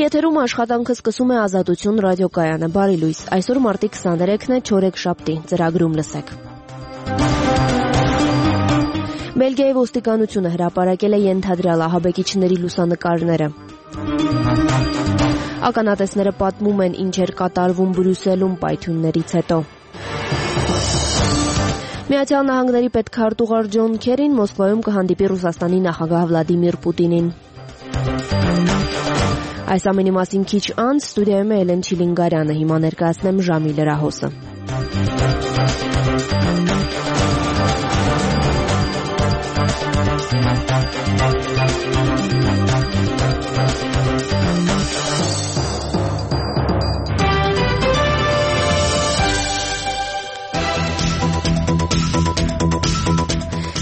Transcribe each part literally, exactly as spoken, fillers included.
եթերում աշխատանքը սկսում է Ազատություն ռադիոկայանը։ Բարի լույս։ Այսօր մարտի քսաներեքն է, չորեքշաբթի, ծրագրում լսեք։ Բելգիայի ոստիկանությունը հրապարակել է ենթադրյալ ահաբեկիչների լուսանկարները։ Ականատեսները պատմում են, ինչ էր կատարվում Բրյուսելում պայթյուններից հետո։ Միացյալ Նահանգների պետքարտուղար Ջոն Քերին Մոսկվայում կհանդիպի Ռուսաստանի նախագահ Վլադիմիր Պուտինին։ Այս ամենի մասին քիչ անց ստուդիայում է Էլեն Չիլինգարյանը, հիմա ներկայացնեմ ժամի լրահոսը։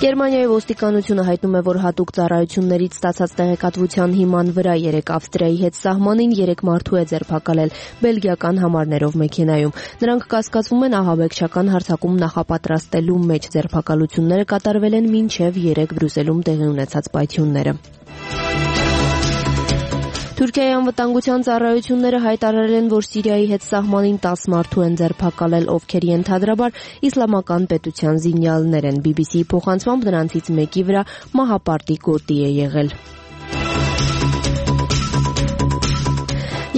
Գերմանիայի ոստիկանությունը հայտնում է, որ հատուկ ծառայություններից ստացած տեղեկատվության հիման վրա երեք Ավստրիայի հետ սահմանին երեք մարդու է ձերբակալել բելգիական համարներով մեքենայում։ Նրանք կասկածվում են ահաբեկչական հարձակում նախապատրաստելու մեջ։ Ձերբակալությունները կատարվել են մինչև երեկ Բրյուսելում տեղի ունեցած պայթյունները։ Թուրքիայի անվտանգության ծառայությունները հայտարարել են, որ Սիրիայի հետ սահմանին տասը մարդու են ձերբակալել, ովքեր ենթադրաբար իսլամական պետության զինյալներ են։ բի բի սի-ի փոխանցմամբ նրանցից մեկի վրա մահապարտի գոտի է եղել։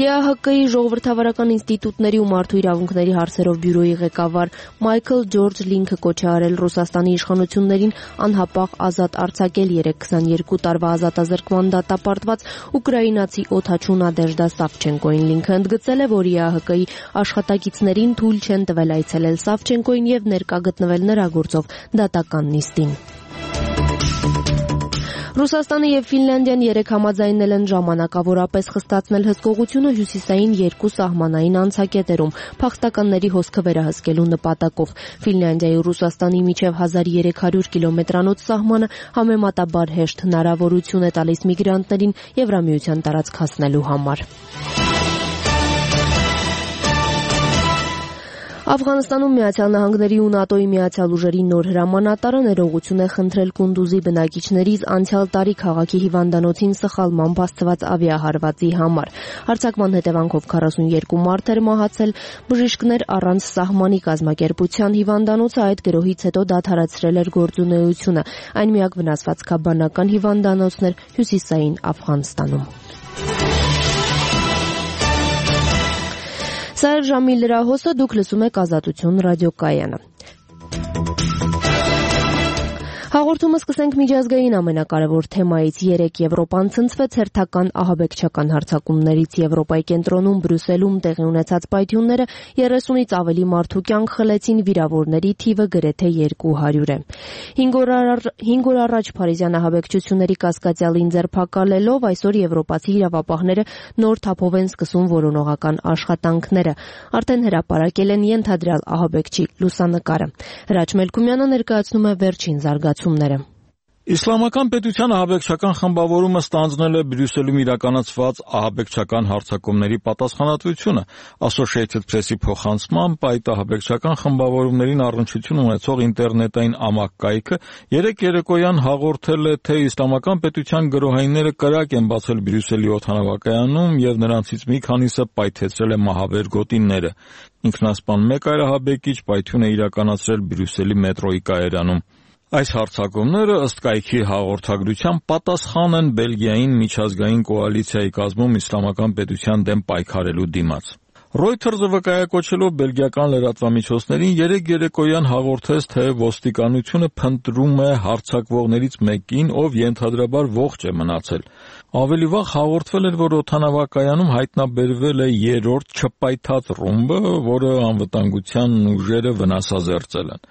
Է Ա Հ Կ-ի ժողովրդավարական ինստիտուտների ու մարդու իրավունքների հարցերով բյուրոյի ղեկավար Մայքլ Ջորջ Լինքը կոչ է արել Ռուսաստանի իշխանություններին անհապաղ ազատ արձակել երեք քսաներկու տարվա ազատազրկման դատապարտված ուկրաինացի օդաչու Նադեժդա Սավչենկոին։ Լինքը ընդգծել է, որ Է Ա Հ Կ-ի աշխատակիցներին թույլ չեն տվել այցելել Սավչենկոին եւ ներկա գտնվել նրա գործով դատական նիստին։ Ռուսաստանը եւ Ֆինլանդիան երեք համաձայնել են ժամանակավորապես խստացնել հսկողությունը հյուսիսային երկու սահմանային անցակետերում փախստականների հոսքը վերահսկելու նպատակով։ Ֆինլանդիայի ու Ռուսաստանի միջև հազար երեք հարյուր կիլոմետրանոց սահմանը համեմատաբար հեշտ հնարավորություն է տալիս միգրանտներին Եվրամիության տարածք հասնելու համար։ Աֆղանստանում Միացյալ Նահանգների ու ՆԱՏՕ-ի միացյալ ուժերի նոր հրամանատարը ներողություն է խնդրել Կունդուզի բնակիչներից անցյալ տարի քաղաքի հիվանդանոցին սխալմամբ հասցված ավիահարվածի համար։ Հարձակման հետևանքով քառասունյոթ մարդ էր մահացել, բժիշկներ առանց սահմանի կազմակերպության հիվանդանոցը այդ գրոհից հետո դադարեցրել էր գործունեությունը։ Այն միակ վնասված քաբանական հիվանդանոցն էր հյուսիսային Աֆղանստանում։ Սա էր ժամի լրահոսը, դուք լսում եք Ազատություն ռադիոկայանը։ Հաղորդումը սկսենք միջազգային ամենակարևոր թեմայից։ Երեկ Եվրոպան ցնցվեց հերթական ահաբեկչական հարձակումներից։ Եվրոպայի կենտրոնում Բրյուսելում տեղի ունեցած պայթյունները երեսունից ավելի մարդու կյանք խլեցին, վիրավորների թիվը գրեթե երկու հարյուր է։ Հինգ օր առաջ փարիզյան ահաբեկչությունների կասկածյալին ձերբակալելով այսօր եվրոպացի իրավապահները նոր թափով են սկսում որոնողական աշխատանքները։ Արդեն հրապարակել են ենթադրյալ ահաբեկչի լուսանկարը։ Հրաչ Մելքումյանը ներկայացնում է վերջին զարգացումները։ Իսլամական պետության ահաբեկչական խմբավորումը ստանձնել է Բրյուսելում իրականացված ահաբեկչական հարձակումների պատասխանատվությունը։ Associated Press-ի փոխանցմամբ այդ ահաբեկչական խմբավորումներին առնչություն ունեցող ինտերնետային ամակկայքը երեք երեկոյան հաղորդել է, թե իսլամական պետության գրոհայինները կրակ են բացել Բրյուսելի օդանավակայանում եւ նրանցից մի քանիսը պայթեցրել է մահաբեր գոտիները։ Ինքնասպան մեկ այլ ահաբեկիչ պայթյուն է իրականացրել Բրյուսելի մետրոյի կայարանում։ Այս հարձակումները ըստ կայքի հաղորդագրության պատասխան են Բելգիային միջազգային կոալիցիայի կազմում իսլամական պետության դեմ պայքարելու դիմաց։ Reuters-ը վկայակոչելով բելգիական լրատվամիջոցներին երեք երեկոյան հաղորդեց, թե ոստիկանությունը փնտրում է հարձակվողներից մեկին, ով ենթադրաբար ողջ է մնացել։ Ավելի վաղ հաղորդվել էր, որ օդանավակայանում հայտնաբերվել է երրորդ չպայթած ռումբը, որը անվտանգության ուժերը վնասազերծել են։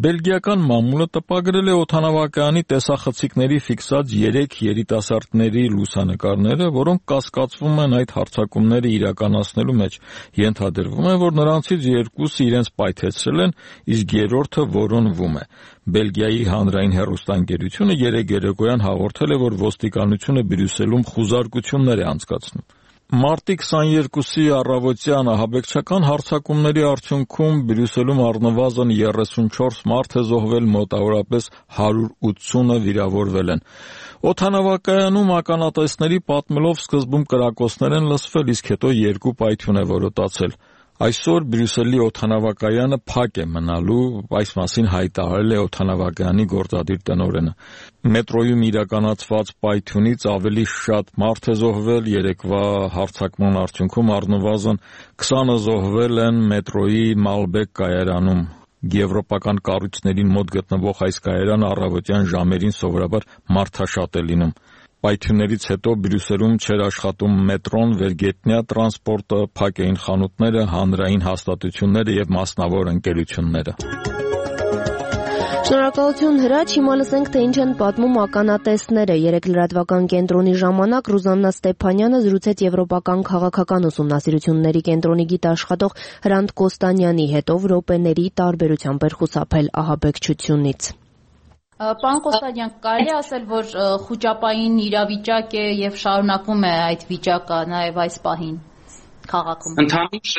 Բելգիական մամուլը տպագրել է օդանավակայանի տեսախցիկների ֆիքսած երեք երիտասարդների լուսանկարները, որոնք կասկածվում են այդ հարձակումները իրականացնելու մեջ։ Ենթադրվում է, որ նրանցից երկուսը իրենց պայթեցրել են, իսկ երրորդը որոնվում է։ Բելգիայի հանրային հեռուստաընկերությունը երեք երեկոյան հաղորդել է, որ ոստիկանությունը Բրյուսելում խուզարկություններ է անցկացնում։ Մարտի քսաներկուսի առավոտյան ահաբեկչական հարձակումների արդյունքում Բրյուսելում առնվազն երեսունչորս մարդ է զոհվել, մոտավորապես հարյուր ութսունը վիրավորվել են։ Օդանավակայանում ականատեսների պատմելով սկզբում կրակոցներ են լսվել, իսկ հետո երկու պայթյուն է որոտացել։ Այսօր Բրյուսելի օդանավակայանը փակ է մնալու, այս մասին հայտարարել է օդանավակայանի գործադիր տնօրենը։ Մետրոյում իրականացված պայթյունից ավելի շատ մարդ է զոհվել, երեկվա հարձակման արդյունքում առնվազն քսանը զոհվել են մետրոյի Մալբեկ կայարանում։ Եվրոպական կառույցներին մոտ գտնվող այս կայարանը առավոտյան ժամերին սովորաբար մարդաշատ է լինում։ Պայթյուններից հետո Բրյուսելում չէր աշխատում մետրոն, վերգետնյա տրանսպորտը, փակ էին խանութները, հանրային հաստատությունները եւ մասնավոր ընկերությունները։ Շնորհակալություն Հրաչ, հիմա լսենք, թե ինչ են պատմում ականատեսները։ Երեք լրատվական կենտրոնի ժամանակ Ռուզաննա Ստեփանյանը զրուցեց Եվրոպական քաղաքական ուսումնասիրությունների կենտրոնի գիտաշխատող Հրանտ Կոստանյանի հետ, ով րոպեների տարբերությամբ էր խուսափել ահաբեկչությունից։ Պարոն Կոստանյան, կարելի ասել, որ խուճապային իրավիճակ է եւ շարունակվում է այդ վիճակը նաեւ այս պահին քաղաքում։ Ընդհանուր,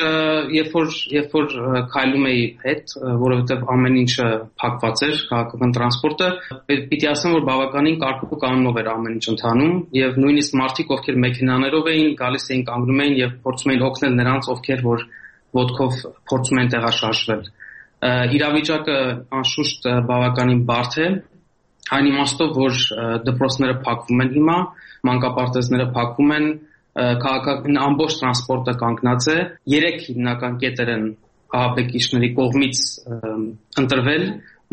երբ որ երբ որ քայլում էի հետ, որովհետեւ ամեն ինչը փակված էր, քաղաքական տրանսպորտը, պիտի ասեմ, որ բավականին կարգու կանոնով էր ամեն ինչ ընթանում եւ նույնիսկ մարդիկ, ովքեր մեքենաներով էին, գալիս էին կանգնում էին եւ փորձում էին օգնել նրանց, ովքեր որ ոտքով փորձում են տեղաշարժվել։ Իրավիճակը անշուշտ բավականին բարդ է, այն իմաստով, որ դպրոցները փակվում են հիմա, մանկապարտեզները փակվում են, քաղաքական ամբողջ տրանսպորտը կանգնած է, երեք հիմնական կետեր են ահաբեկիչների կողմից ընտրվել,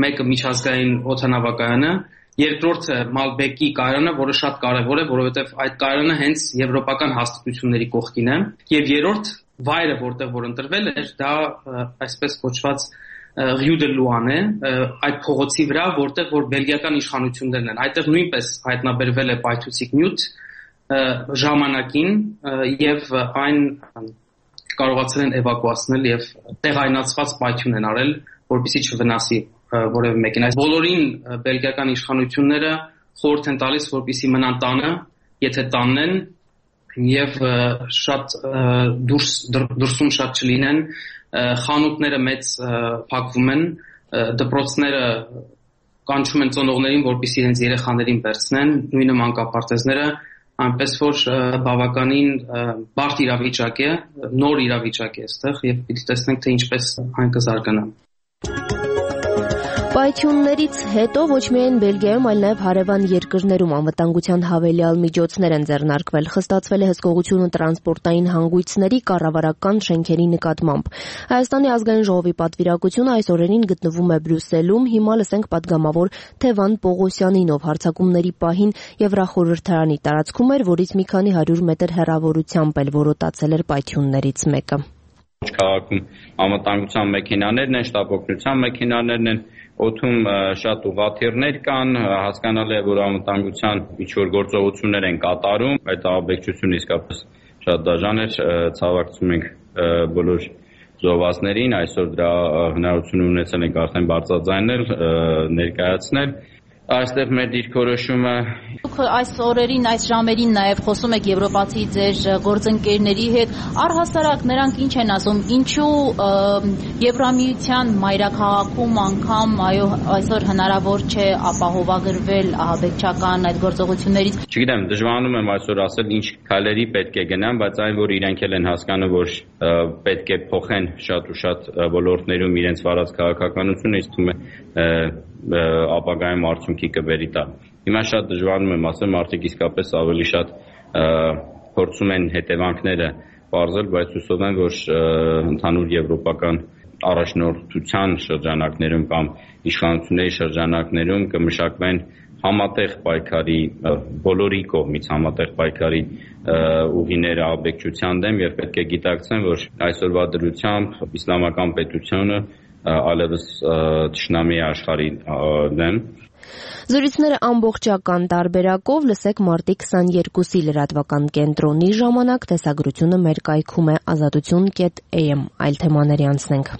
մեկը միջազգային օդանավակայանը, երկրորդը Մալբեկի կայարանը, որը շատ կարևոր է, որովհետև այդ կայարանը հենց եվրոպական հաստատությունների կողքին է, եւ երրորդ վայրը, որտեղ որ ընտրվել էր, դա այսպես կոչված Rue de Louane է, այդ փողոցի վրա, որտեղ որ բելգիական իշխանություններն են, այդտեղ նույնպես հայտնաբերվել է պայթուցիկ նյութ ժամանակին եւ այն կարողացել են էվակուացնել եւ տեղայնացված պայթյուն են արել, որպեսզի չվնասի որևէ մեկին։ Այս բոլորին բելգիական իշխանությունները խորհուրդ են տալիս, որպեսզի մնան տանը, եթե տանն են եւ շատ դուրս դրսում շատ չլինեն, խանութները մեծ փակվում են, դպրոցները կանչում են ծնողներին, որպեսզի իրենց երեխաներին վերցնեն, նույնը մանկապարտեզները, այնպես որ բավականին բարդ իրավիճակ է, նոր իրավիճակ է այստեղ եւ պիտի տեսնենք, թե ինչպես այն կզարգանա։ Պայթյուններից հետո ոչ միայն Բելգիայում, այլ նաև հարևան երկրներում անվտանգության հավելյալ միջոցներ են ձեռնարկվել, խստացվել է հսկողությունը տրանսպորտային հանգույցների, կառավարական շենքերի նկատմամբ։ Հայաստանի ազգային ժողովի պատվիրակությունը այս օրերին գտնվում է Բրյուսելում, հիմա լսենք պատգամավոր Թևան Պողոսյանին, ով հարձակումների պահին Եվրախորհրդարանի տարածքում էր, որից մի քանի հարյուր մետր հեռավորությամբ էլ որոտացել էր պայթյուններից մեկը։ Քաղաքում անվտանգության մեքենաներն են, շտապօգնության մեքենաներն են, օդում շատ ուղղաթիռներ կան, հասկանալի է, որ անվտանգության ինչ-որ գործողություններ են կատարում, այդ ահաբեկչությունը իսկապես շատ դաժան էր, ցավակցում ենք բոլոր զոհվածներին, այսօր դրա հնարավորություն ունեցել ենք արդեն բարձրաձայնել, ներկայացնել։ Այստեղ մեր դիրքորոշումը Դուք այս օրերին, այս ժամերին նաև խոսում եք եվրոպացի ձեր գործընկերների հետ, առհասարակ նրանք ինչ են ասում, ինչու Եվրամիության մայրաքաղաքում անգամ այո այսօր հնարավոր չէ ապահովագրվել ահաբեկչական այդ գործողություններից։ Չգիտեմ, դժվարանում եմ այսօր ասել ինչ քայլերի պետք է գնան, բայց այն որ իրենք էլ են հասկանում, որ պետք է փոխեն շատ ու շատ ոլորտներում իրենց վարած քաղաքականությունը, ինձ թվում է ապագայում արդյունքի կբերի տա։ Հիմա շատ դժվարանում եմ ասել, մարդիկ իսկապես ավելի շատ փորձում են հետևանքները պարզել, բայց հուսով եմ, որ ընդհանուր եվրոպական առաջնորդության շրջանակներում կամ իշխանությունների շրջանակներում կմշակվեն համատեղ պայքարի բոլորի կողմից համատեղ պայքարի ուղիները ահաբեկչության դեմ եւ պետք է գիտակցեն, որ այսօրվա դրությամբ իսլամական պետությունը այլևս թշնամի աշխարհի դեմ։ Զրույցները ամբողջական տարբերակով լսեք մարտի քսաներկուսի լրատվական կենտրոնի ժամանակ, տեսագրությունը մեր կայքում է ազատություն կետ a m, այլ թեմաների անցնենք։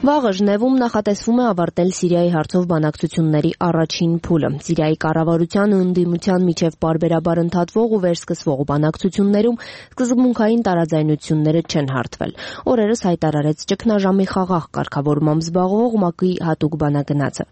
Վաղը Ժնևում նախատեսվում է ավարտել Սիրիայի հարցով բանակցությունների առաջին փուլը։ Սիրիայի կառավարության ու ընդդիմության միջև պարբերաբար ընդհատվող ու վերսկսվող բանակցություններում սկզբունքային տարաձայնությունները չեն հարթվել։ Օրերս հայտարարեց ճգնաժամի խաղաղ կարգավորմամբ զբաղվող ՄԱԿ-ի հատուկ բանագնացը։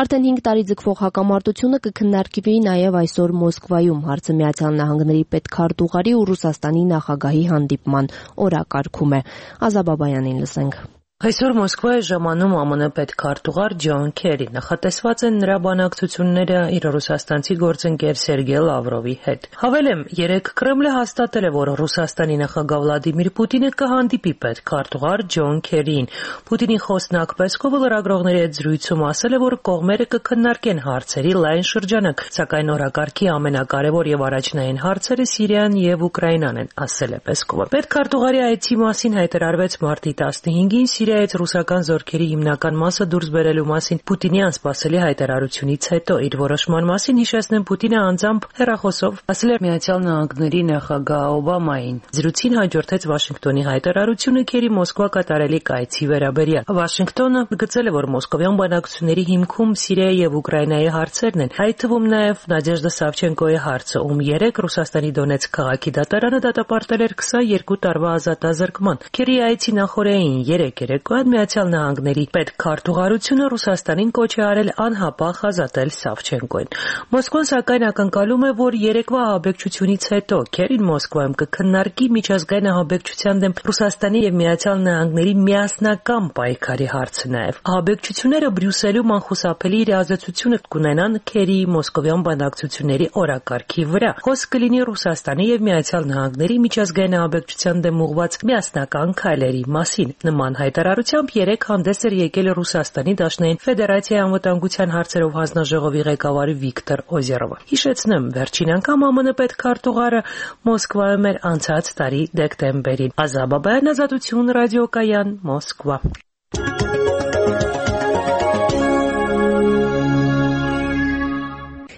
Արդեն հինգ տարի ձգվող հակամարտությունը կքննարկվի նաև այսօր Մոսկվայում հարցը Միացյալ Նահանգների պետքարտուղարի ու Ռուսաստանի նախագահի հանդիպման օրակարգում է։ Ազա Բաբայանին լսենք։ Այսօր Մոսկվա է ժամանում ԱՄՆ պետքարտուղար Ջոն Քերի։ Նախատեսված են նրա բանակցությունները իր ռուսաստանցի գործընկեր Սերգեյ Լավրովի հետ։ Հավելեմ, երեկ Կրեմլը հաստատել է, որ Ռուսաստանի նախագահ Վլադիմիր Պուտինը կհանդիպի պետքարտուղար Ջոն Քերիին։ Պուտինի խոսնակ Պեսկովը լրագրողների հետ զրույցում ասել է, որ կողմերը կքննարկեն հարցերի լայն շրջանակ, սակայն օրակարգի ամենակարևոր եւ առաջնային հարցերը Սիրիան եւ Ուկրաինան են, ասել է Պեսկովը։ Պետքարտուղարի այցի մասին հայտարարվեց մարտի տասնհինգին Սիրիայից ռուսական զորքերի հիմնական մասը դուրս բերելու մասին Պուտինի անսպասելի հայտարարությունից հետո իր որոշման մասին հիշեցնեմ Պուտինը անձամբ հեռախոսով ասել էր Միացյալ Նահանգների նախագահ Օբամային։ Զրույցին հաջորդեց Վաշինգտոնի հայտարարությունը Քերի Մոսկվա կատարելի կայցի վերաբերյալ։ Վաշինգտոնը գծել է, որ մոսկովյան բանակցությունների հիմքում Սիրիայի եւ Ուկրաինայի հարցերն են, այդ թվում նաեւ Նադեժդա Սավչենկոյի հարցը, ում երեք Ռուսաստանի Դոնեցկ քաղաքի դատարանը դատապարտել էր քսաներկու տարվա ազատազրկման։ Քերի այցի նախօրեին երեք երեկոյան Միացյալ Նահանգների պետքարտուղարությունը Ռուսաստանին կոչ է արել անհապաղ ազատել Սավչենկոին։ Մոսկվան սակայն ակնկալում է, որ երեկվա ահաբեկչությունից հետո Քերին Մոսկվայում կքննարկի միջազգային ահաբեկչության դեմ Ռուսաստանի եւ Միացյալ Նահանգների միասնական պայքարի հարցը նաեւ։ Ահաբեկչությունները Բրյուսելում անխուսափելի իրազեկությունը կունենան Քերիի մոսկովյան բանակցությունների օրակարգի վրա։ Խոսք կլինի Ռուսաստանի եւ Միացյալ Նահանգների միջազգային ահաբեկչության դեմ ուղղված միասնական քայլերի մասին։ Նման հայտարարությամբ երեք հանդես էր եկել Ռուսաստանի Դաշնային Ֆեդերացիայի անվտանգության հարցերով հանձնաժողովի ղեկավար Վիկտոր Օզերովը։ Հիշեցնեմ, վերջին անգամ ԱՄՆ պետքարտուղարը Մոսկվայում էր անցած տարի դեկտեմբերին։ Ազա Բաբայան, Ազատություն ռադիոկայան, Մոսկվա։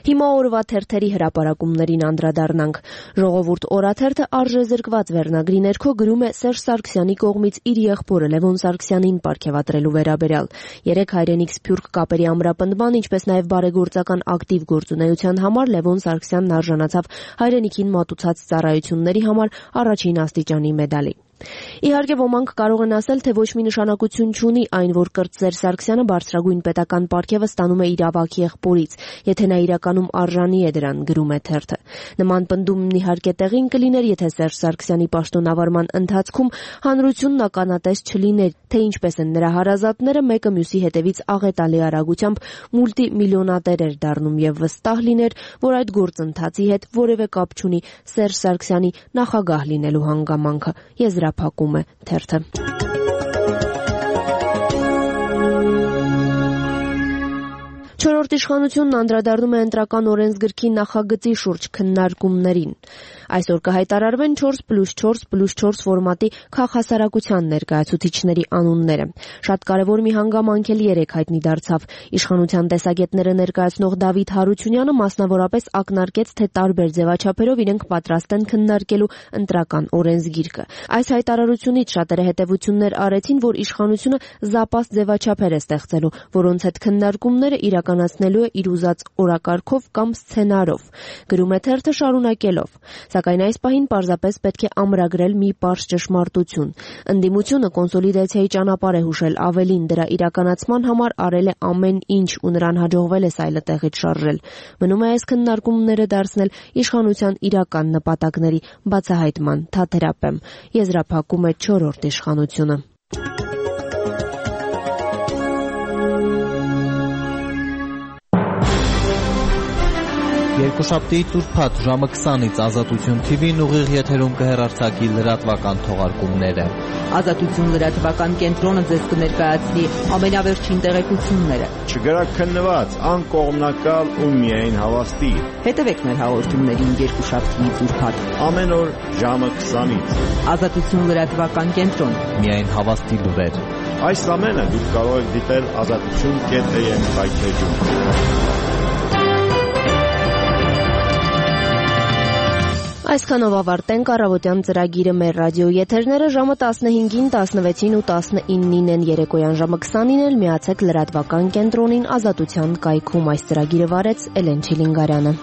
Հիմա օրվա թերթերի հրապարակումներին անդրադառնանք։ Ժողովուրդ օրաթերթը արժեզրկված վերնագրի ներքո գրում է Սերժ Սարգսյանի կողմից իր եղբորը Լևոն Սարգսյանին պարգևատրելու վերաբերյալ։ Երեք հայրենիք սփյուռք կապերի ամրապնդման, ինչպես նաև բարեգործական ակտիվ գործունեության համար Լևոն Սարգսյանն արժանացավ հայրենիքին մատուցած ծառայությունների համար առաջին աստիճանի մեդալի։ Իհարկե ոմանք կարող են ասել, թե ոչ մի նշանակություն չունի այն, որ Կրտսեր Սարգսյանը բարձրագույն պետական պարգևը ստանում է իր ավագ եղբորից, եթե նա իրականում արժանի է դրան, գրում է թերթը։ Նման պնդումն իհարկե տեղին կլիներ, եթե Սերժ Սարգսյանի պաշտոնավարման ընթացքում հանրությունն ականատես չլիներ, թե ինչպես են նրա հարազատները մեկը մյուսի հետևից աղետալի արագությամբ մուլտիմիլիոնատեր էր դառնում եւ վստահ լիներ, որ այդ գործընթացի հետ որևէ կապ չունի Սերժ Սարգսյանի նախագահ լինելու հանգամանքը։ Եզրափակում է թերթը։ Չորրորդ իշխանությունն անդրադառնում է ընտրական օրենսգրքի նախագծի շուրջ քննարկումներին։ Այսօր կհայտարարվեն չորս պլյուս չորս պլյուս չորս ֆորմատի քաղաքասարակության ներկայացուցիչների անունները։ Շատ կարևոր մի հանգամանք էլ երեք հայտնի դարձավ։ Իշխանության տեսակետները ներկայացնող Դավիթ Հարությունյանը մասնավորապես ակնարկեց, թե տարբեր ձևաչափերով իրենք պատրաստ են քննարկելու ընտրական օրենսգիրքը։ Այս հայտարարությունից շատերը հետևություններ արեցին, որ իշխանությունը զապաստ ձևաչափեր է ստեղծելու, որոնց հետ քննարկումները իրականացնելու է իր ուզած օրակարգով կամ սցենարով, գրում է թերթը շարունակելով։ Սակայն այս պահին պարզապես պետք է ամրագրել մի պարզ ճշմարտություն։ Ընդդիմությունը կոնսոլիդացիայի ճանապարհ է հուշել, ավելին դրա իրականացման համար արել է ամեն ինչ ու նրան հաջողվել է սայլը տեղից շարժել։ Մնում է այս քննարկումները դարձնել իշխանության իրական նպատակների բացահայտման թատերապեմ, եզրափակում է չորրորդ իշխանությունը։ Երկուշաբթի տուրփաթ ժամը քսանից Ազատություն թի վին ուղիղ եթերում կհեռարձակի լրատվական թողարկումները։ Ազատություն լրատվական կենտրոնը ձեզ կներկայացնի ամենավերջին տեղեկությունները։ Չգրաքննված, անկողմնակալ ու միայն հավաստի։ Հետևեք մեր հաղորդումներին երկուշաբթի տուրփաթ ամեն օր ժամը քսանից։ Ազատություն լրատվական կենտրոն։ Միայն հավաստի լուրեր։ Այս ամենը դուք կարող եք դիտել ազատություն կետ էմ վայթեջում։ Այսքանով ավարտենք առավոտյան ծրագիրը մեր ռադիո եթերները ժամը տասնհինգին, տասնվեցին ու տասնինին են երեկոյան ժամը քսանին էլ միացեք լրատվական կենտրոնին Ազատության կայքում։ Այս ծրագիրը վարեց Էլեն Չիլինգարյանը։